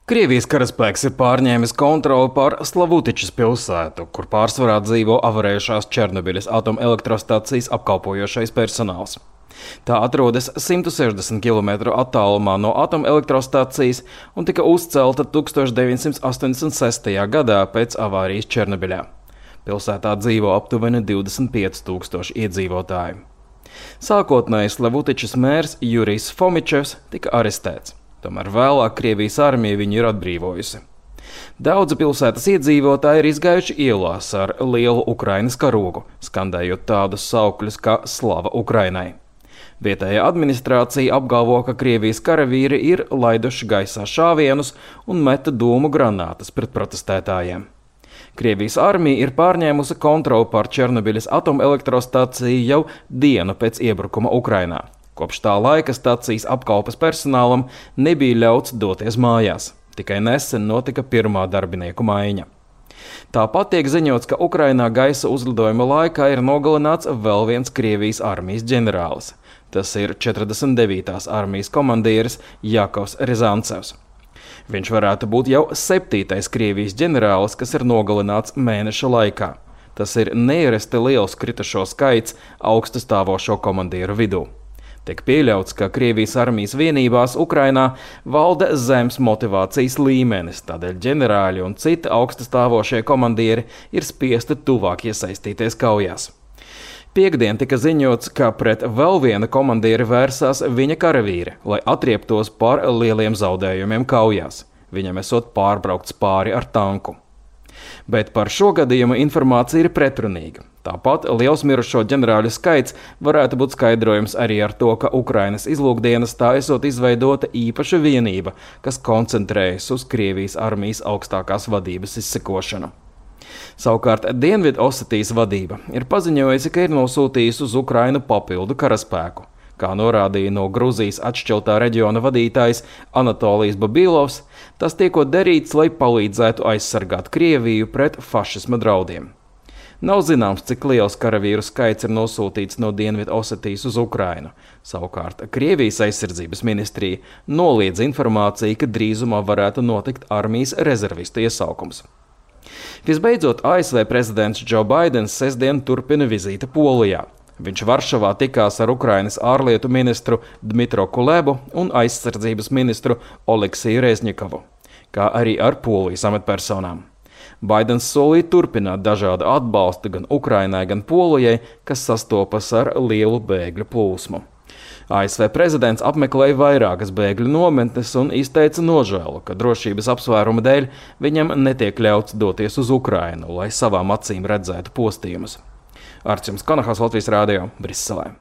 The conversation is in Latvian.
Krievijas karaspēks ir pārņēmis kontroli pār Slavutičas pilsētu, kur pārsvarā dzīvo avarējušās Černobiļas atomelektrostacijas apkalpojošais personāls. Tā atrodas 160 km attālumā no atomelektrostacijas un tika uzcelta 1986. gadā pēc avārijas Černobiļā. Pilsētā dzīvo aptuveni 25,000 iedzīvotāji. Sākotnēji Slavutičas mērs Jurijs Fomičevs tika arestēts. Tomēr vēlāk Krievijas armija viņu ir atbrīvojusi. Daudzi pilsētas iedzīvotāji ir izgājuši ielās ar lielu Ukrainas karogu, skandējot tādus saukļus kā Slava Ukrainai. Vietējā administrācija apgalvo, ka Krievijas karavīri ir laiduši gaisā šāvienus un meta dūmu granātas pret protestētājiem. Krievijas armija ir pārņēmusi kontroli pār Černobiļas atomelektrostaciju jau dienu pēc iebrukuma Ukrainā. Kopš tā laika stacijas apkalpes personālam nebija ļauts doties mājās. Tikai nesen notika pirmā darbinieku maiņa. Tāpat tiek ziņots, ka Ukrainā gaisa uzlidojuma laikā ir nogalināts vēl viens Krievijas armijas ģenerālis. Tas ir 49. armijas komandieris Jakovs Rizancevs. Viņš varētu būt jau 7. Krievijas ģenerālis, kas ir nogalināts mēneša laikā. Tas ir neierasti liels kritušo skaits augstu stāvošo komandieru vidū. Tiek pieļauts, ka Krievijas armijas vienībās Ukrainā valda zems motivācijas līmenis, tādēļ ģenerāļi un citi augsti stāvošie komandieri ir spiesti tuvāk iesaistīties kaujās. Piektdien tika ziņots, ka pret vēl viena komandieri vērsās viņa karavīri, lai atrieptos par lieliem zaudējumiem kaujās. Viņam esot pārbraukts pāri ar tanku. Bet par šo gadījumu informācija ir pretrunīga. Tāpat liels mirušo ģenerāļu skaits varētu būt skaidrojums arī ar to, ka Ukrainas izlūkdienestā esot izveidota īpaša vienība, kas koncentrējas uz Krievijas armijas augstākās vadības izsekošanu. Savukārt Dienvidosetijas vadība ir paziņojusi, ka ir nosūtījusi uz Ukrainu papildu karaspēku. Kā norādīja no Gruzijas atšķeltā reģiona vadītājs Anatolijas Babilovs, tas tiekot darīts, lai palīdzētu aizsargāt Krieviju pret fašisma draudiem. Nav zināms, cik liels karavīru skaits ir nosūtīts no Dienvidosetijas uz Ukrainu. Savukārt Krievijas aizsardzības ministrija noliedz informāciju, ka drīzumā varētu notikt armijas rezervistu iesaukums. Visbeidzot, ASV prezidents Joe Baidens sestdien turpina vizīti Polijā. Viņš Varšavā tikās ar Ukrainas ārlietu ministru Dmitro Kulebu un aizsardzības ministru Oleksiju Reznikovu, kā arī ar Polijas amatpersonām. Baidens solīja turpināt dažādu atbalstu gan Ukrainai, gan Polijai, kas sastopas ar lielu bēgļu plūsmu. ASV prezidents apmeklēja vairākas bēgļu nometnes un izteica nožēlu, ka drošības apsvērumu dēļ viņam netiek ļauts doties uz Ukrainu, lai savām acīm redzētu postījumus. Arčuns Konahals, Latvijas Rādio, Briselē.